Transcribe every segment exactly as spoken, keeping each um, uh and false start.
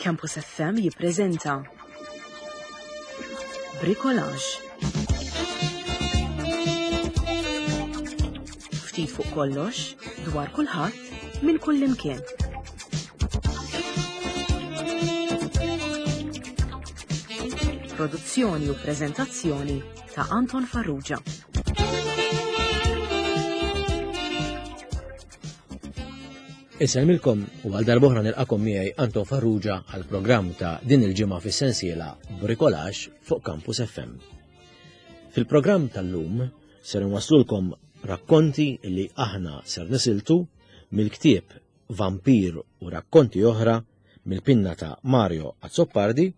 Campus F M jippreżenta Bricolage. Ftit fuq kollox, dwar kulħadd, minn kullimkien. Produzzjoni u preżentazzjoni ta' Anton Farrugia. Insellmilkom u għal darb'oħra nilqakom miegħi Anton Farrugia għal programm ta' din il-ġimgħa fis-sensiela Bricolage fuq Campus F M. Fil-programm tal-lum ser nwaslulkom rakkonti li aħna ser nisiltu mill-ktieb Vampir u rakkonti oħra mill-pinna ta' Mario Azzopardi,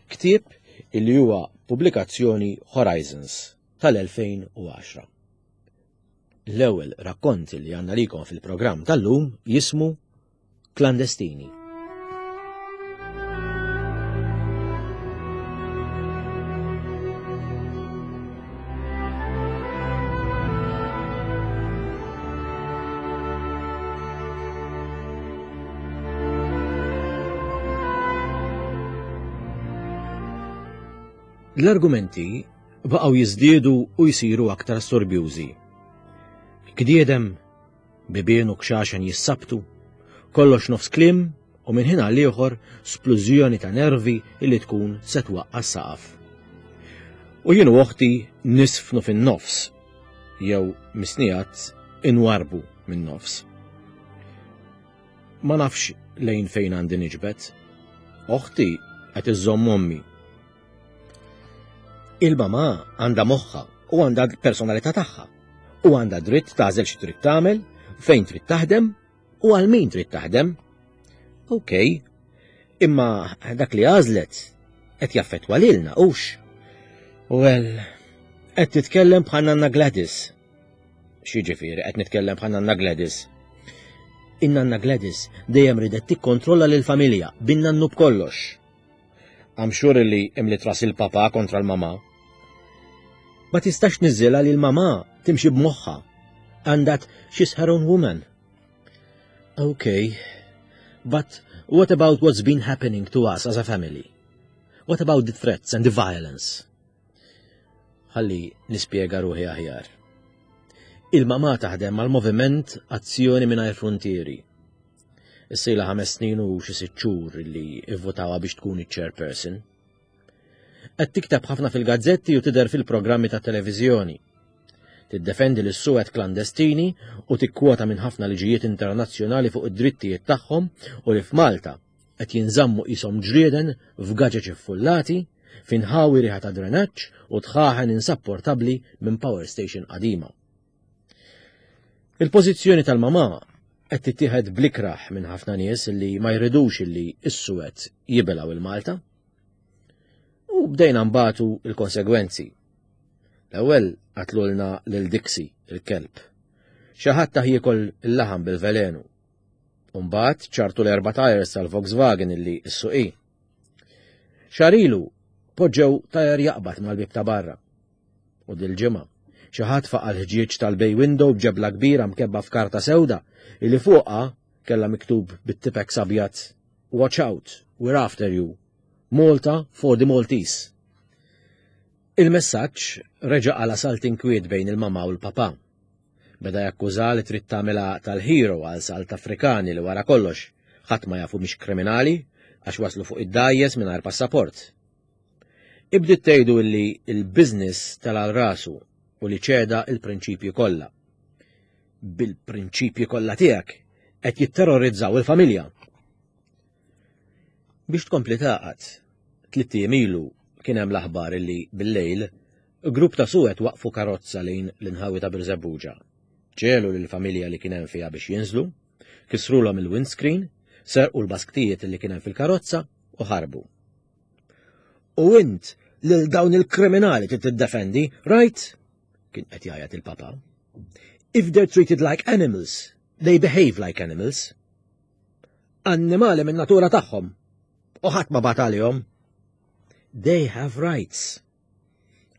ktieb illi huwa pubblikazzjoni Horizons tal-elfejn u għaxra. L-ewwel rakkont li għandna likom fil-programm tal-lum jismu Klandestini. L-argumenti baqgħu jiżdiedu u jsiru aktar storbjużi. Gdiedem, bibien u kxaxen jissabtu, kollox nofs kliem u minn ħin għal ieħor splużjoni ta' nervi illi tkun se twaqqa' s-saqaf. U jien u oħti nisfnu fin-nofs, jew misnijat inwarbu min-nofs. Ma nafx lejn fejn għandi niġbed. Oħti qed iżżomm ommi. Il-mama għandha moħħa u għandha personalità tagħha. U għandha dritt tagħżel xi trid tagħmel, fejn trid taħdem u għal min trid taħdem. Ok, imma dak li għażlet qed jaffettwa lilna hux. Well, qed titkellem bħal Nanna Gladys. X'jiġifieri qed nitkellem bħal Nanna Gladys? In-Nanna Gladys dejjem ridet tikkontrolla lill-familja bin-nannu b'kollox. I'm sure li imliet ras il-papa kontra l-mama. Ma tistax niżilha li l-mama timxi b'moħħa. And that she's her own woman. Okay, but what about what's been happening to us as a family? What about the threats and the violence? Ħalli nispjega ruħi aħjar. Il-mama taħdem mal-moviment Azzjoni Mingħajr Frontieri. Issa ilha ħames snin u xi sitt xhur li ivvotawha biex tkun iċ-chairperson. Qed tikteb ħafna fil-gazzetti u tidher fil-programmi ta' televiżjoni. Tiddefendi lis-suwed klandestini u tikkwota minn ħafna liġijiet internazzjonali fuq id-drittijiet tagħhom u li f'Malta qed jinżammu qishom ġrieden f'gaġeġ iffullati, f'inħawi riħa ta' drenaġġ u dħaħen insapportabbli minn power station qadima. Il-pożizzjoni tal-mama qed tittieħed blikraħ minn ħafna nies li ma jridux illi s-suwed jibilgħu il-Malta. U bdejna nbatu il-konsegwenzi. L-ewwel qatlulna lil Dixie, il-kelb. Xi ħadd tah jiekol il-laħam bil-velenu. U mbagħad ċartu l-erba' tires tal-Volkswagen illi ssuq hi. Xahar ilu poġġew tajer jaqbad mal-bib ta' barra. U dil-ġimgħa xi ħadd faqa' l-ħġieġ tal-bay window b'ġebla kbira mkebba f'karta sewda illi fuqha kellha miktub bit-Tipp-Ex abjad: "Watch out, we're after you. Malta for the Maltese." Il-messaġġ reġa' qala' salt inkwiet bejn il-mama u l-papa. Beda jakkuża li trid tagħmilha tal-hero għal salt Afrikani li wara kollox ħadd ma jafu mhix kriminali għax waslu fuq id-dgħajjes mingħajr passaport. Ibdiet tgħidu illi il-business tela' rasu u li ċeda il-prinċipji kollha. Bil-prinċipji kollha tiegħek qed jitterrorizzaw il-familja. Biex tkompli taqgħad, tliet ijiem ilu kien hemm l-aħbar illi bil-lejl grupp ta' suwed waqfu karozza lejn l-inħawi ta' Birżebbuġa. Ġegħlu lill-familja li kien hemm fiha biex jinżlu, kisrulhom il-windscreen, serqu l-basktijiet li kien hemm fil-karozza u ħarbu. U int lil dawn il-kriminali trid tiddefendi, right? Kien qed jgħajjat il-papa. If they're treated like animals, they behave like animals. Annimali minn natura tagħhom. U ħadd ma bagħat għalihom. They have rights.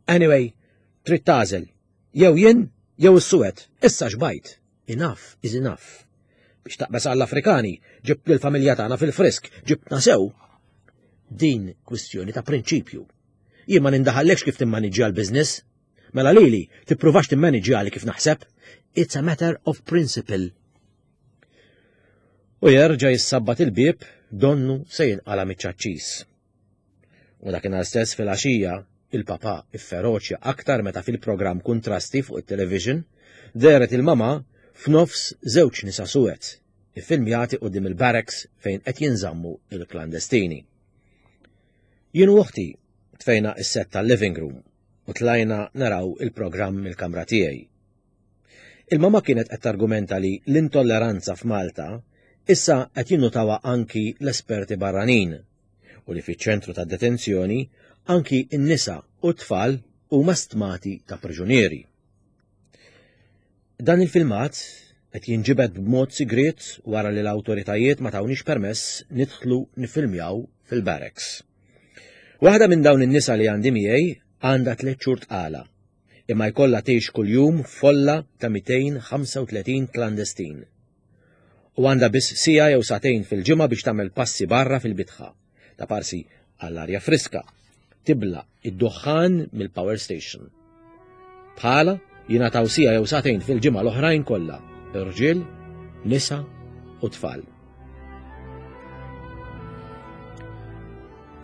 Anyway, trid tagħżel. Jew jien, jew is-suwed. Issa xbajt. Enough is enough. Biex taqbeż għall-Afrikani, ġibt lill-familja tagħna fil-frisk, ġibtna sew. Din kwistjoni ta' prinċipju. Jien ma nindaħallekx kif timmaniġġja l-business. Mela lili, tippruvax timmaniġġjali kif naħseb. It's a matter of principle. U jerġa' jissabbat il-bieb donnu se jinqala miċ-ċaċċis. U dakinhar stess fil-għaxija, il-papa ifferoċja aktar meta fil-programm Kuntrasti fuq it-television dehret il-mama f'nofs żewġ nisa suwed, iffilmjati quddiem il-barracks fejn qed jinżammu il-klandestini. Jien u oħti tfejna is-set tal-living room u tlajna naraw il-programm mill-kamra tiegħi. Il-mama kienet qed targumenta li l-intolleranza f'Malta issa qed jinnutawha anki l-esperti barranin u li fiċ-ċentru ta' detenzjoni anki n-nisa u t-tfal huma stmati ta' priġunieri. Dan il-filmat qed jinġibed b'mod sigriet wara li l-awtoritajiet ma tawniex permess nidħlu nifilmjaw fil-barracks. Waħda minn dawn in-nisa li għandi miegħi għandha tliet xhur tqala, imma jkollha tgħix kuljum folla ta' mitejn ħamsa u tletin klandestin. U għandha biss siegħa jew sagħtejn fil-ġimgħa biex tagħmel passi barra fil-bitħa, ta' parsi għall-arja friska, tibla id-duħħan mill-power station. Bħala jingħataw siegħa jew sagħtejn fil-ġimgħa l-oħrajn kollha, irġiel, nisa u tfal.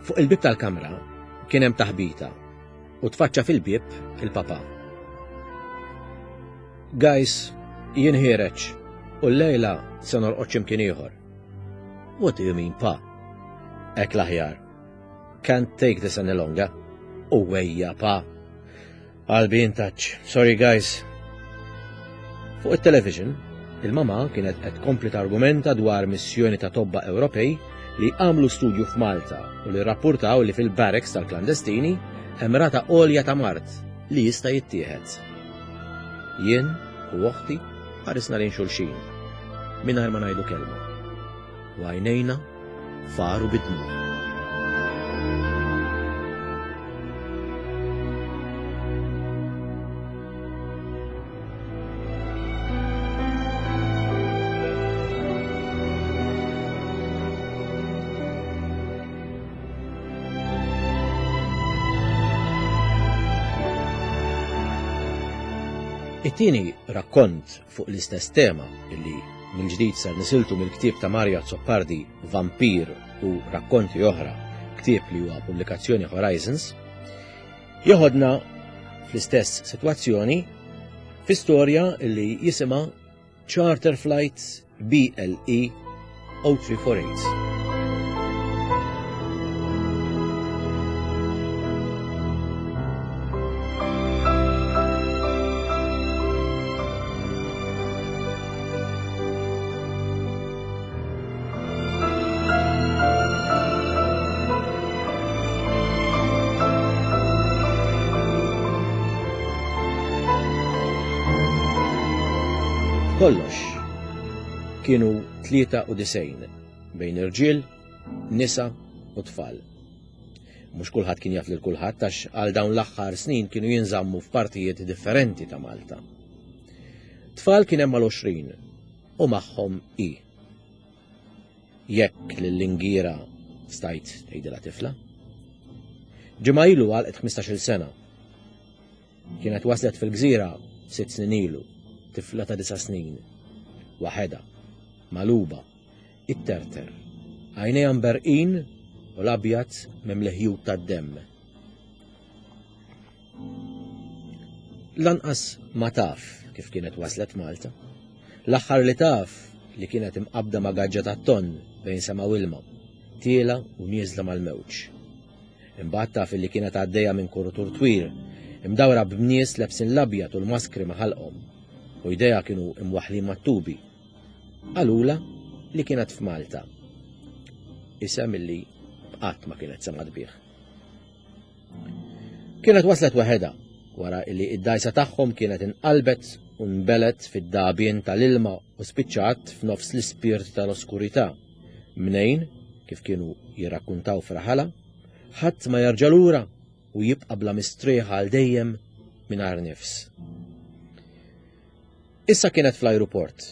Fuq il-bieb tal-kamra kien hemm taħbita u tfaċċa fil-bieb il-papa. Guys, jien ħiereġ u l-lejla se norqod x'imkien ieħor. What do you mean, pa? Hekk l-aħjar. Can't take this any longer. U wejja, pa. I'll be in touch. Sorry, guys. Fuq it-television, il-mama kienet qed tkompli targumenta dwar missjoni ta' tobba Ewropej li għamlu studju f'Malta u li rrappurtaw li fil-barracks tal-klandestini hemm rata għolja ta' mard li jista' jittieħed. Jien u oħti ħarisna lejn xulxin mingħajr ma ngħidu kelma. U għajnejna faru bid-dmugħ. It-tieni rakkont fuq l-istess tema illi mill-ġdid ser nisiltu mill-ktieb ta' Mario Azzopardi Vampir u rakkonti oħra, ktieb li huwa pubblikazzjoni Horizons, joħodna fl-istess sitwazzjoni fi storja illi jisimha Charter Flight B L E oh three four eight. Kollox kienu tlieta u disgħin bejn irġiel, nisa u tfal. Mhux kulħadd kien jaf lil kulħadd għax għal dawn l-aħħar snin kienu jinżammu f'partijiet differenti ta' Malta. Tfal kien hemm mal-għoxrin u magħhom i. Jekk lill-ingira stajt tgħidilha tifla. Ġimgħa ilu għalqet ħmistax-il sena. Kienet waslet fil-gżira sitt snin ilu, tifla ta' disa' snin, waħedha, maluba, itterter, għajnejha mberqin u l-abjad mimli ħjut tad-demm. Lanqas ma taf kif kienet waslet Malta. L-aħħar li taf li kienet imqabda ma' gaġġa tat-tonn bejn sema u ilma, tiela u nieżla mal-mewġ. Imbagħad taf li kienet għaddejja minn kurutur twil, imdawra b'nies lebsin l-abjad u l-maskri ma' ħalqhom, u jdejha kienu imwaħħlin mat-tubi. Qalula li kienet f'Malta. Isem illi qatt ma kienet semgħet bih. Kienet waslet waħedha wara illi id-dajsa tagħhom kienet inqalbet u nbelet fid-dabien tal-ilma u spiċċat f'nofs l-ispirti tal-oskurità, mnejn, kif kienu jirrakkuntaw fraħala, ħadd ma jerġa' lura u jibqa' bla mistrieħ għal dejjem mingħajr nifs. Issa kienet fl-ajruport,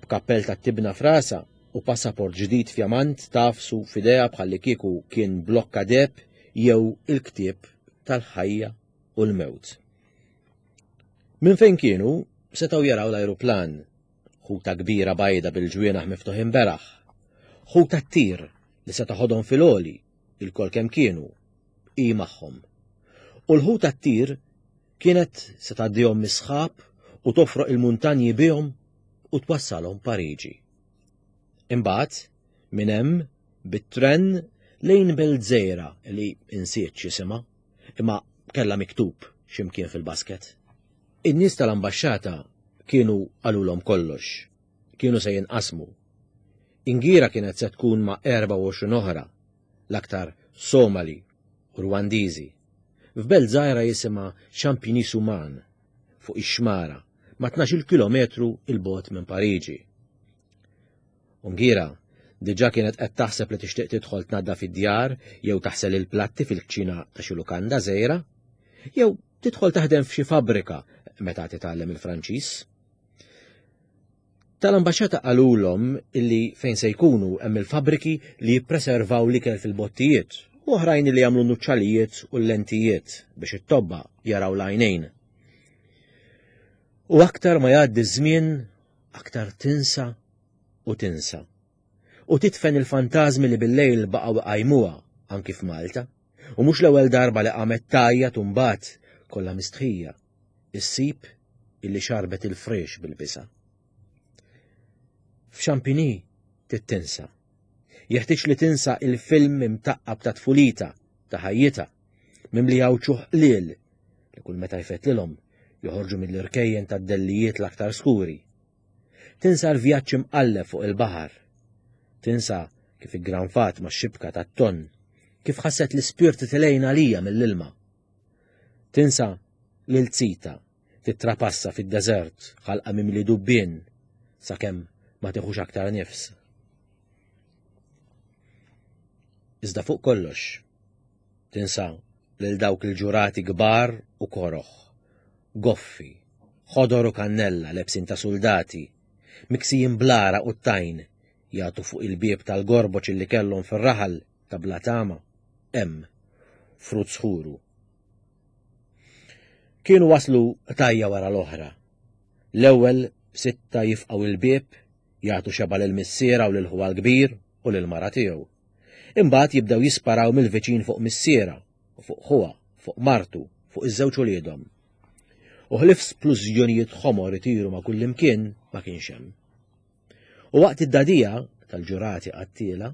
b'kappell tat-tibna frasa u passaport ġdid fjamant tagħfsu f'idejha bħallikieku kien blokka deheb jew il-ktieb tal-ħajja u l-mewt. Minn fejn kienu setgħu jaraw l-ajruplan, ħuta kbira bajda bil-ġwienaħ miftuħin beraħ, ħuta ttir li se taħodhom fil-għoli, ilkoll kemm kienu, hi magħhom. U l-ħuta ttir kienet se tgħaddihom mis-sħab u tofroq il-muntanji bihom u twassalhom Pariġi. Imbagħad minn hemm bit-tren lejn belt żgħira li insiet x'isimha, imma kellha miktub x'imkien fil-basket. In-nies tal-ambaxxata kienu qalulhom kollox, kienu se jinqasmu. Ingira kienet se tkun ma' erbgħa u għoxrin oħra, l-aktar Somali u Rwandiżi. F'belt żgħira jisimha Champigny-sur-Marne, fuq ix-xmara, ma' tnax-il kilometru 'il bogħod minn Pariġi. U Ngira diġà kienet qed taħseb li tixtieq tidħol tnaddaf id-djar jew taħsel il-platti fil-kċina ta' xi lukanda żgħira, jew tidħol taħdem f'xi fabbrika meta titgħallem il-Franċiż. Tal-ambaxxata qalulhom illi fejn se jkunu hemm il-fabbriki li jippreservaw l-ikel fil-bottijiet u oħrajn li jagħmlu nuċċalijiet u l-lentijiet biex it-tobba jaraw l-għajnejn. U aktar ma jgħaddi żmien, aktar tinsa u tinsa. U titfen il-fantażmi li bil-lejl baqgħu iqajmuha anki f'Malta. U mhux l-ewwel darba li qamet tgħajjat u mbagħad kollha mistħija issib illi xarbet il-friex bil-bisa. F'Champigny tittinsa. Jeħtieġ li tinsa il-film imtaqqab ta' tfulitha, ta' ħajjitha, mimli wċuħ qliel li kull meta jfettlilhom joħorġu mill-irkejjen tad-dellijiet l-aktar skuri. Tinsa l-vjaġġ imqalleb fuq il-baħar. Tinsa kif iggranfat ma' xibka tat-ton, kif ħasset l-ispirti telgħin għalija mill-ilma. Tinsa lil Zita titrapassa fid-deżert ħalqha mimli dubbien sakemm ma tiħux aktar nifs. Iżda fuq kollox, tinsa lil dawk il-ġurati kbar u koroħ, goffi, ħodor u kannella lebsin ta' soldati, miksijin blara u t-tajn, jagħtu fuq il-bieb tal-gorboċ li kellhom fir-raħal ta' Blatama, hemm frut sħuru. Kienu waslu tajja wara l-oħra. L-ewwel sitta jifqgħu il-bieb, jagħtu xeba lil missiera u lil ħuha l-kbir u lil mara tiegħu. Imbagħad jibdew jisparaw mill-viċin fuq missiera u fuq ħuha, fuq martu, fuq iż-żewġ uliedhom. U ħlief splużjonijiet ħomor itiru ma' kullimkien ma kienx hemm. U waqt id-dadija tal-ġurati qattiela,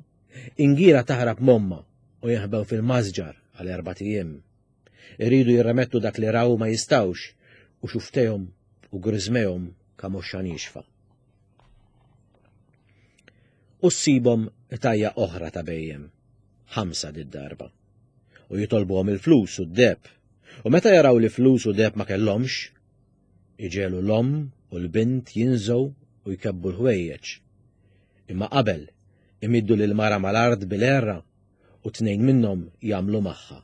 Ingira taħrab m'ommha u jinħbew fil-masġar għal erbat ijiem. Iridu jirremettu dak li raw ma jistgħux u xuftejhom u griżmejhom kamoxxa niexfa. U ssibhom tajja oħra ta' bejjem, ħamsa did-darba. U jitolbuhom il-flus u d-deheb. U meta jaraw li flus u deheb ma kellhomx, iġegħlu l-omm u l-bint jinżgħu u jkebbu l-ħwejjeġ. Imma qabel imiddu lil mara mal-art bil-erra u tnejn minnhom jagħmlu magħha.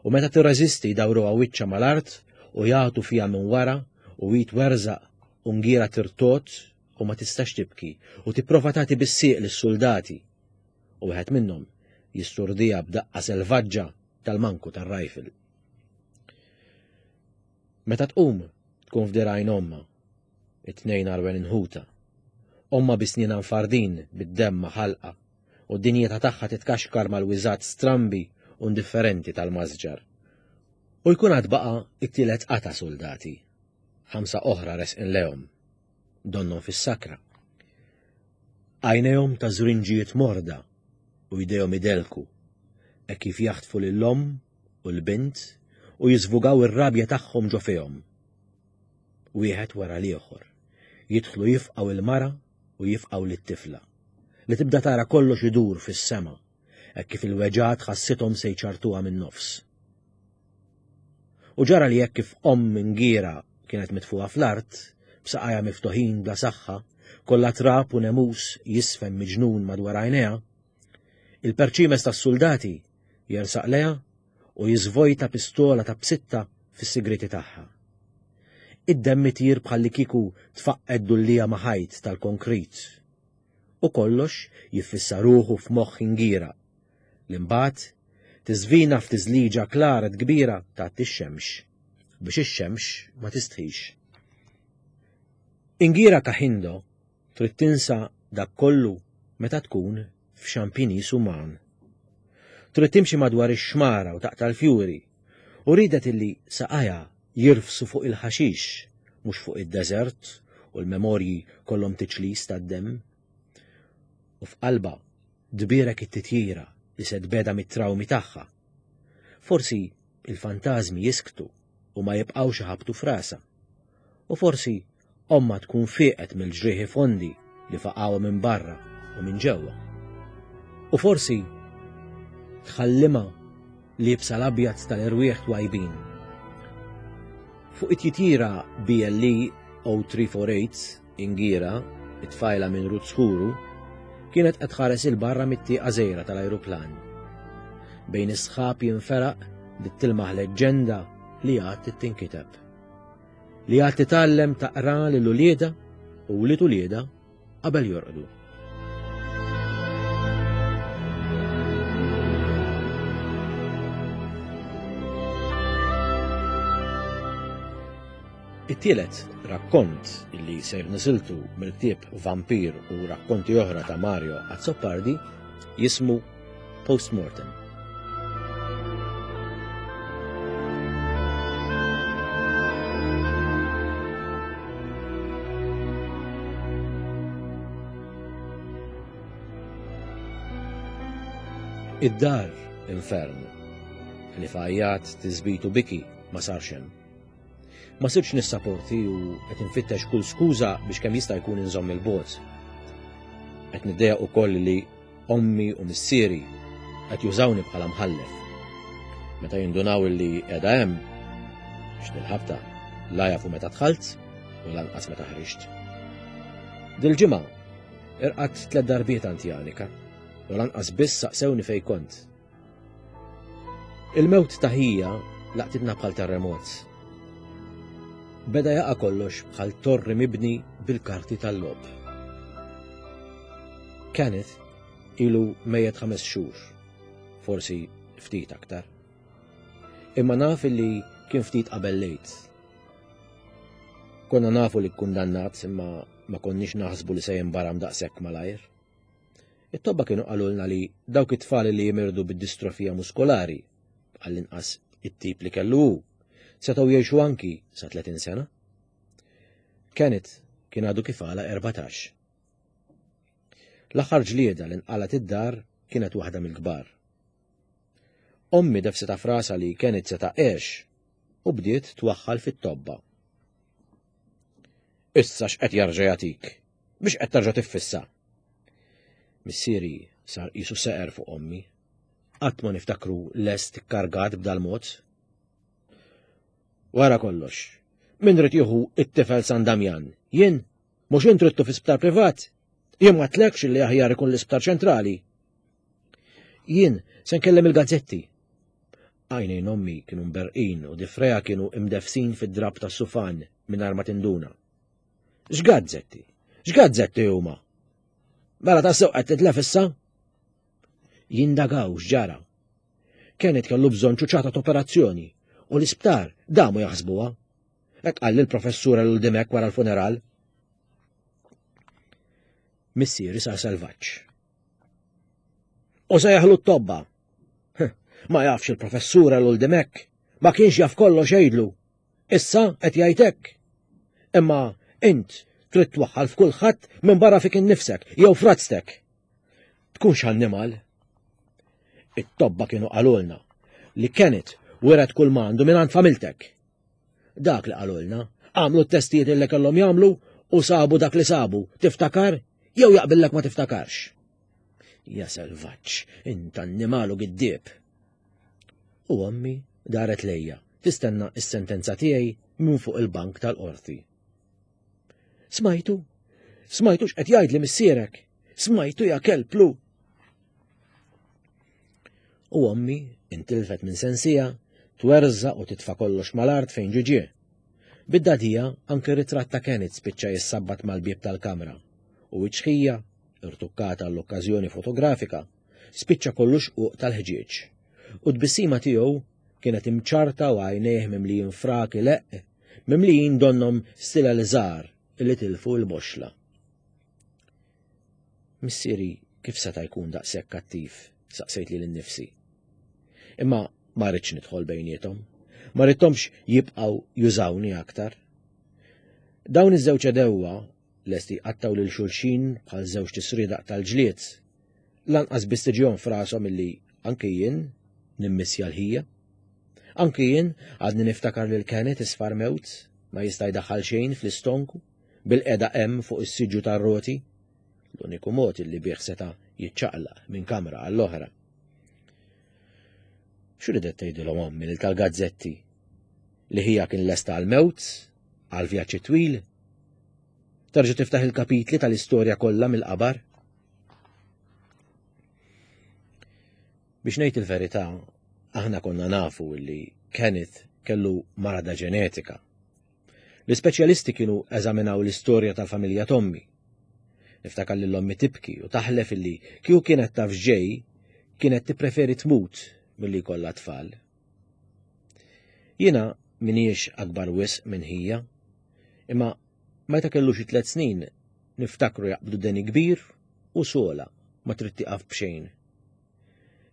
U meta tirreżisti jdawruha wiċċha mal-art u jagħtu fiha minn wara u jitwerżaq u Ngira tirtot u ma tistax tibki u tipprova tagħti bis-sieq lis-soldati. U wieħed minnhom jisturdija b'daqqa selvaġġa tal-manku tar-rifle. Meta tqum tkun f'dirgħajn ommha, it-tnejn għarwenin ħuta. Ommha bi snienha mfardin bid-demm ma' ħalqha u d-dinjità tagħha titkaxkar mal-wiżgħat strambi u indifferenti tal-masġar. U jkun għad baqa' it-tielet qata soldati, ħamsa oħra resqin lejhom, donnhom fis-sakra. Għajnejhom ta' żrinġijiet morda u jdejhom idelku, hekk kif jaħtfu lill-omm u l-bint u jiżvugaw ir-rabja tagħhom ġo fihom. Wieħed wara l-ieħor, jidħlu jifqgħu il-mara u jifqgħu lit-tifla, li tibda tara kollox idur fis-sema, hekk kif il-weġgħat ħassithom se jċartuha min-nofs. U ġara li hekk kif omm Ngira kienet mitfuqa fl-art, b'saqajha miftuħin bla saħħa, kollha trab u nemus jisfem miġnun madwar għajnejha, il-perċimes tas-soldati jersaq lejha u jiżvojta pistola ta' bsitta fis-sigriti tagħha. Id-demm itir bħalli kieku tfaqqed dullija ma' ħajt tal-konkrit U kollox jiffissa ruħu f'moħħ Ingira. L-imbagħad tiżvina f'tiżliġa klara kbira taħt ix-xemx, biex ix-xemx ma tistħix. Ingira Kahindo trid tinsa dak kollu meta tkun f'xampinis uman. Trid timxi madwar ix-xmara u taqta' l-fjuri, u ridet illi saqajha jirfsu fuq il-ħaxix, mhux fuq id-deżert u l-memorji kollhom tiċlis tad-demm. U f'qalba dbierek it-titjira li se tbeda mit-trawmi tagħha. Forsi il-fantażmi jisktu u ma jibqgħux iħabtu frasa. U forsi omma tkun fieqet mill-ġrieħi fondi li faqgħuha minn barra u minn ġewwa. U forsi tħallima liebsa l-abjad tal-erwieħ twajbin. Fuq it-titjira B L E zero three four eight Ingira, it-tfajla minn Rutshuru, kienet qed tħares il-barra mit-tieqa żgħira tal-ajruplan. Bejn is-sħab jinferaq bdiet tilmaħ leġġenda li għad tinkiteb. Li għad titgħallem taqra lil uliedha u wlied uliedha qabel jorqdu. It-tielet rakkont illi ser nisiltu mill-ktieb Vampir u rakkonti oħra ta' Mario Azzopardi jismu Postmortem. Id-dar infern li fajjat tiżbitu biki ma sarx hemm. Ma sirx nissaporti u qed infittex kull skuża biex kemm jista' jkun inżomm il-bogħod. Qed niddejjaq ukoll li ommi u missieri qed jużawni bħala mħallef. Meta jindunaw li qiegħda hemm, biex nil-ħabta la jafu meta dħalt u lanqas meta ħriġt. Dil-ġimgħa irqadt tliet darbiet għand Janika u lanqas biss saqsewni fejn kont. Il-mewt ta' ħija laqtitna bħal terremot. Beda jaqa' kollox bħal torri mibni bil-karti tal-logħob. Kenneth ilu mejjet ħames xhur, forsi ftit aktar. Imma naf li kien ftit qabel lejt. Konna nafu li kkundannat imma ma konniex naħsbu li se jinbaram daqshekk malajr. It-tobba kienu qalulna li dawk it-tfal li jimirdu bid-distrofija muskolari, għall-inqas it-tip li kellu hu, setgħu jgħixu anki sa tletin sena. Kenneth kien għadu kif għala erbatax. L-aħħar ġlieda li nqalat id-dar kienet waħda mill-kbar. Ommi defsitha frasa li Kenneth seta' għex u bdiet twaħħal fit-tobba. Issa x'qed jarġa' jagħtik? Biex qed tarġa' tiffissa? Missieri sar qisu seqer fuq ommi. Qatt ma niftakru lest ikkargat b'dal-mod. Wara kollox, min rid jieħu it-tifel San Damjan? Jien? Mhux int ridtu fi sptar privat? Jien ma tlekx li aħjar ikun l-isptar ċentrali. Jien se nkellem il-gazzetti. Għajnejn ommi kienu mberqin u difreja kienu imdefsin fid-drab tas-sufan mingħajr ma tinduna. X'gazzetti? X'gazzetti huma? Mela tassew qed titlef issa? Jindagaw x'ġara. Kenneth kellu bżonn ċuċata t'operazzjoni u l-isptar damu jaħsbuha. Hekk qal lill-professur Ellul Dimech wara l-funeral. Missieri sar selvaġġ. U se jaħlu t-tobba. Ma jafx il-professur Ellul Dimech, ma kienx jaf kollox jgħidlu. Issa qed jgħid hekk. Imma int trid twaħħal f'kulħadd minn barra fik innifsek jew frazztek. Tkunx annimal. It-tobba kienu qalulna li Kenneth wiret kull ma għandu minn għand familtek. Dak li qalulna, għamlu t-testijiet li kellhom jagħmlu u sabu dak li sabu, tiftakar jew jaqbillek ma tiftakarx. Ja selvaġġ, int annimalu giddieb. U ommi daret lejja, tistenna s-sentenza tiegħi minn fuq il-bank tal-qorti. Smajtu? Smajtu x'qed jgħidli missierek? Smajtu ja kelplu? U ommi intilfet minn sensija, twerża u titfa' kollox mal-art fejn ġiġie. Bid-dadija anke ritratt ta' Kenneth spiċċa jissabbat mal-bieb tal-kamra u wiċċ ħija irtukkata għall-okkażjoni fotografika, spiċċa kollu xquq tal-ħġieġ. U t-tbissima tiegħu kienet imċarta u għajnejh mimlijin frak ileqq, mimlijin donnhom stilel żgħar illi tilfu l-boxla. Missieri kif seta' jkun daqshekk kattiv, saqsejt lili nnifsi. Imma ma ridtx nidħol bejniethom, ma ridthomx jibqgħu jużawni aktar. Dawn iż-żewġ għedewwa lesti jqattgħu lil xulxin bħal żewġ tisriedaq tal-ġlied. Lanqas biss tiġihom f'rashom illi anke jien nimmissja l-ħija. Anke jien għadni niftakar lil Kenneth isfar mewt, ma jista' jdaħħal xejn fl-istonku, bil-qeda hemm fuq is-siġġu tar-roti, l-uniku mod illi bih seta' jiċċaqlaq minn kamra għall-oħra. X'ridet tgħidilhom ommi lil tal-gazzetti? Li ħija kien lesta għall-mewt, għal vjaġġ twil? Terġa' tiftaħ il-kapitli tal-istorja kollha mill-qabar? Biex ngħid il-verità, aħna konna nafu li Kenneth kellu marada ġenetika. L-ispeċjalisti kienu eżaminaw l-istorja tal-familja t'ommi. Niftakar lil ommi tibki u taħlef illi kieku kienet taf x'ġej, kienet tippreferi tmut milli jkollha tfal. Jiena m'iniex akbar wisq minn ħija, imma meta kellu xi tliet snin niftakru jaqbdu deni kbir u sola ma trid tieqaf b'xejn.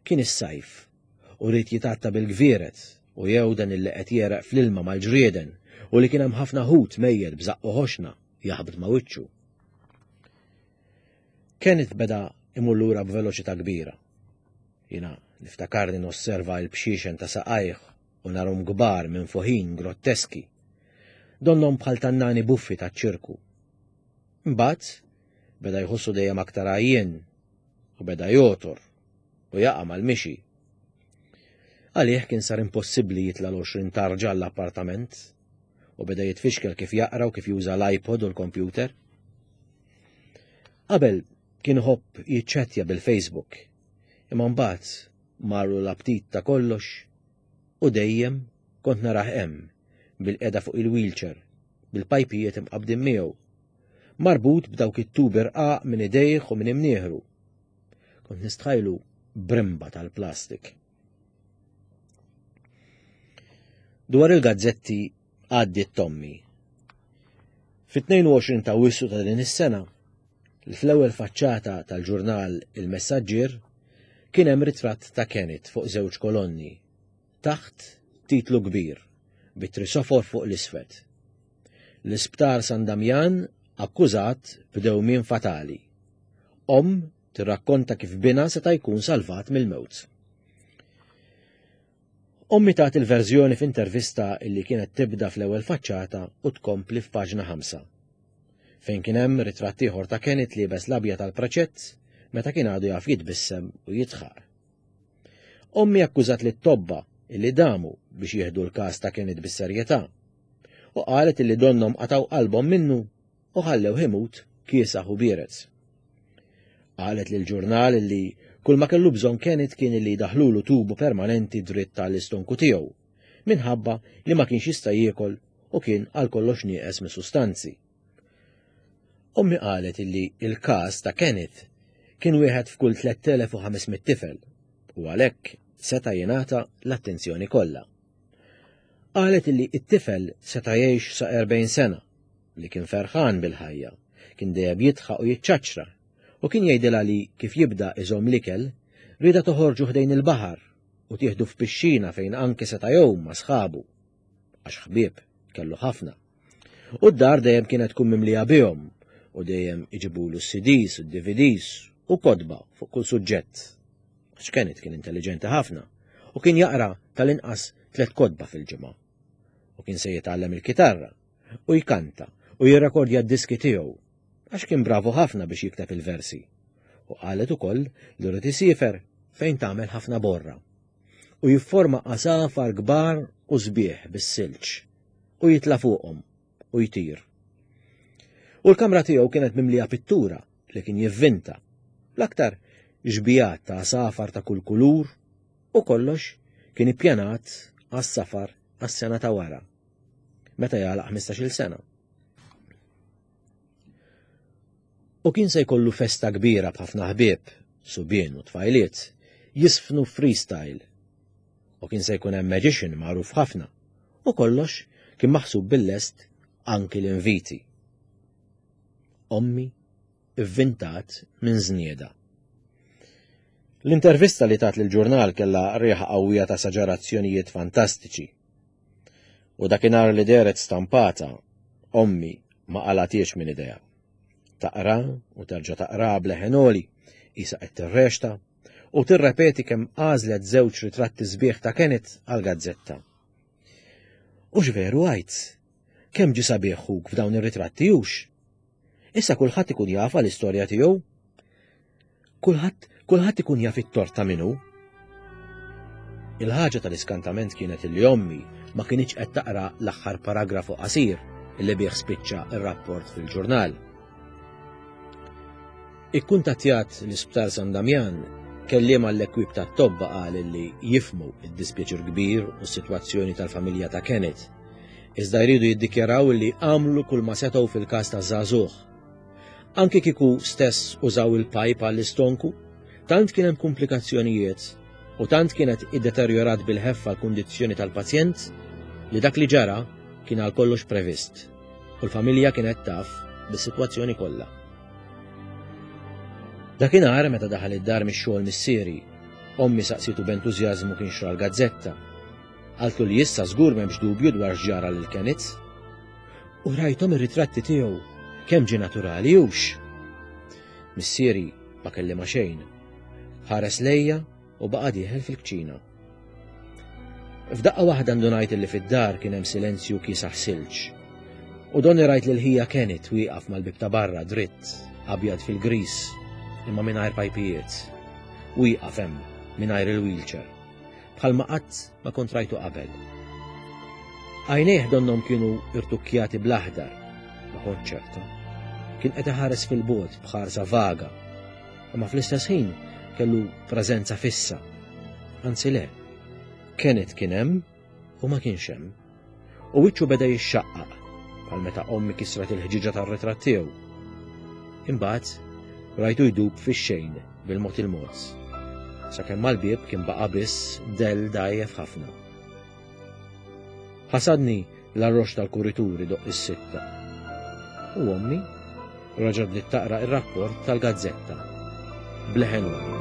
Kien is-sajf u ried jitgħatta bil-gvieret u jewden illi qed jereq fl-ilma mal-ġrieden u li kien hemm ħafna ħut mejjed b'żaqqu ħoxna jaħbet ma' wiċċu. Kenneth beda imur lura b'veloċità kbira. Jiena niftakarni nosserva l-bxiexen ta' saqajh u narhom kbar minn fuħin grotteski. Donnhom bħal tannani buffi taċ-ċirku. Imbagħad beda jħossu dejjem aktar għajjien u beda jotor u jaqa' mal-mixi. Għalih kien sar impossibbli jitla' l-għoxrin tarġa l-appartament u beda jitfixkel kif jaqra u kif juża l-iPod u l-kompjuter. Qabel kien iħobb jiċċettja bil-Facebook, imma mbagħad marru l-aptit ta' kollox u dejjem kont narah hemm bil-qeda fuq il-wheelchair, bil-pajpijiet imqabdin miegħu, marbut b'dawk it-tubi rqaq minn idejh u minn imnieħru. Kont nistħajlu brimba tal-plastik. Dwar il-gazzetti għaddiet Tommy. Fit-tnejn u għoxrin ta' Awwissu ta' din is-sena, fl-ewwel faċċata tal-ġurnal Il-Messaġġier kien hemm ritratt ta' Kenneth fuq żewġ kolonni, taħt titlu kbir, bit-trisofor fuq l-isfed. L-Isptar San Damjan akkużat b'dewmien fatali. Omm tirrakkonta kif binha seta' jkun salvat mill-mewt. Ommi tat il-verżjoni f'intervista illi kienet tibda fl-ewwel faċċata u tkompli f'paġna ħamsa, fejn kien hemm ritratt ieħor ta' Kenneth liebes l-abjad tal-preċett meta kien għadu jaf jitbissem u jidħaq. Ommi akkużat lit-tobba illi damu biex jieħdu l-każ ta' Kenneth bis-serjetà u qalet illi donnhom qataw qalbhom minnu u ħallew imut kiesaħ u biered. Qalet lill-ġurnal illi kull ma kellu bżonn Kenneth kien illi jdaħlulu tubu permanenti dritt tal-istonku tiegħu, minħabba li ma kienx jista' jiekol u kien għal kollox nieqes mis-sustanzi. Ommi qalet illi il-każ ta' Kenneth kien wieħed f'kull tlett elef u ħames mitt tifel u għalhekk seta' jingħata l-attenzjoni kollha. Qalet illi it-tifel seta' jgħix sa erbgħin sena, li kien ferħan bil-ħajja, kien dejjem jidħaq u jiċċaċċra, u kien jgħidilha li kif jibda iżomm l-ikel, rieda toħorġu ħdejn il-baħar u tieħdu f'pixxina fejn anke seta' jgħum ma' sħabu, għax ħbieb kellu ħafna. U d-dar dejjem kienet tkun mimlija bihom u dejjem iġibulu C Ds u D V Ds u kotba fuq kull suġġett. Għax Kenneth kien intelligenti ħafna u kien jaqra tal-inqas tliet kotba fil-ġimgħa. U kien se jitgħallem il-kitarra u jkanta u jirrekordja d-diski tiegħu għax kien bravu ħafna biex jikteb il-versi. U qalet ukoll li rid isiefer fejn tagħmel ħafna borra u jifforma għasafar kbar u sbieħ bis-silġ u jitla' fuqhom u jtir. U l-kamra tiegħu kienet mimlija pittura li kien jivvinta, l-aktar xbijat ta' għasafar ta' kull kulur u kollox kien ippjanat għas-safar għas-sena ta' wara, meta jagħlaq ħmistax-il sena. U kien se jkollu festa kbira b'ħafna ħbieb, subien u tfajliet, jiżfnu freestyle. U kien se jkun hemm magician magħruf ħafna. U kollox kien maħsub bil-lest, anki l-inviti. Ommi ivvintat minn żnieda. L-intervista li tat lill-ġurnal kellha riħa qawwija ta' esaġerazzjonijiet fantastiċi. U dakinhar li dehret stampata, ommi ma qalgħethiex minn idejha. Taqra u terġa' taqra b'leħen għoli, qisha qed tirreċta u tirrepeti kemm għażlet żewġ ritratti sbieħ ta' Kenneth għal-gazzetta. U x'veru għajt, kemm ġie sabiħ ħuk f'dawn ir-ritratti hux? Issa kulħadd ikun jaf l-istorja tiegħu. Kulħadd kulħadd ikun jaf it-tort ta' min hu. Il-ħaġa tal-iskantament kienet li ommi ma kinitx qed taqra l-aħħar paragrafu qasir illi bih spiċċa ir-rapport fil-ġurnal. Ikkuntattjat l-Isptar San Damjan, kelliem għall-ekwip ta' tobba qal li jifhmu id-dispjaċir kbir u s-sitwazzjoni tal-familja ta' Kenneth. Iżda jridu jiddikjaraw li għamlu kull ma setgħu fil-każ ta' żagħżugħ. Anki kieku stess użaw il-pajp għall-istonku, tant kien hemm komplikazzjonijiet u tant kienet iddeterjorat bil-ħeffa l-kundizzjoni tal-pazjent li dak li ġara kien għal kollox previst u l-familja kienet taf bis-sitwazzjoni kollha. Dakinhar meta daħal id-dar mix-xogħol missieri, ommi saqsitu b'entużjażmu kienx ra l-gazzetta. Qaltlu li issa żgur m'hemmx dubju dwar x'ġara lil Kenneth. U rajthom ir-ritratti tiegħu, kemm ġie naturali hux. Missieri ma kellima xejn. Ħares lejja u baqa' dieħel fil-kċina. F'daqqa waħda ndunajt li fid-dar kien hemm silenzju kiesaħ silġ. U donni rajt lil ħija Kenneth wieqaf mal-bib ta' barra dritt, abjad fil-gris, imma mingħajr pajpijiet. Wieqaf hemm mingħajr il-wheelchair. Bħalma qatt ma kont rajtu qabel. Għajnejh donnhom kienu irtukkjati bl-aħdar, ma kont ċerta. Kien qed iħares fil-bogħod b'ħarsa vaga, imma fl-istess ħin kellu preżenza fissa. Anzi le, Kenneth kien hemm u ma kienx hemm. U wiċċu beda jixxaqqaq bħal meta ommi kisret il-ħġiġa tar-ritratt tiegħu. Imbagħad rajtu jdub fix-xejn bil-mod il-mod. Sakemm mal-bieb kien baqa' biss dell dgħajjef ħafna. Ħasadni l-arrox tal-kurituri idoqq is-sitta. U ommi reġgħet bdiet taqra ir-rapport tal-gazzetta. B'leħen għoli.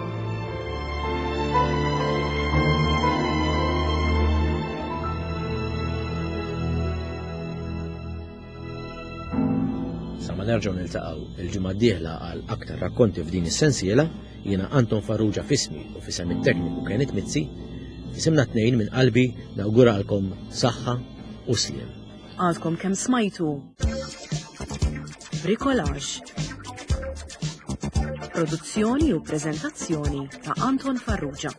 Sa ma nerġgħu niltaqgħu il-ġimgħa d-dieħla għal aktar rakkonti f'din is-sensiela, jiena Anton Farrugia f'ismi u f'isem it-tekniku Kenneth Mizzi, f'isimna tnejn minn qalbi nawguralkom saħħa u sliem. Għadkom kemm smajtu Bricolage. Produzzjoni u preżentazzjoni ta' Anton Farrugia.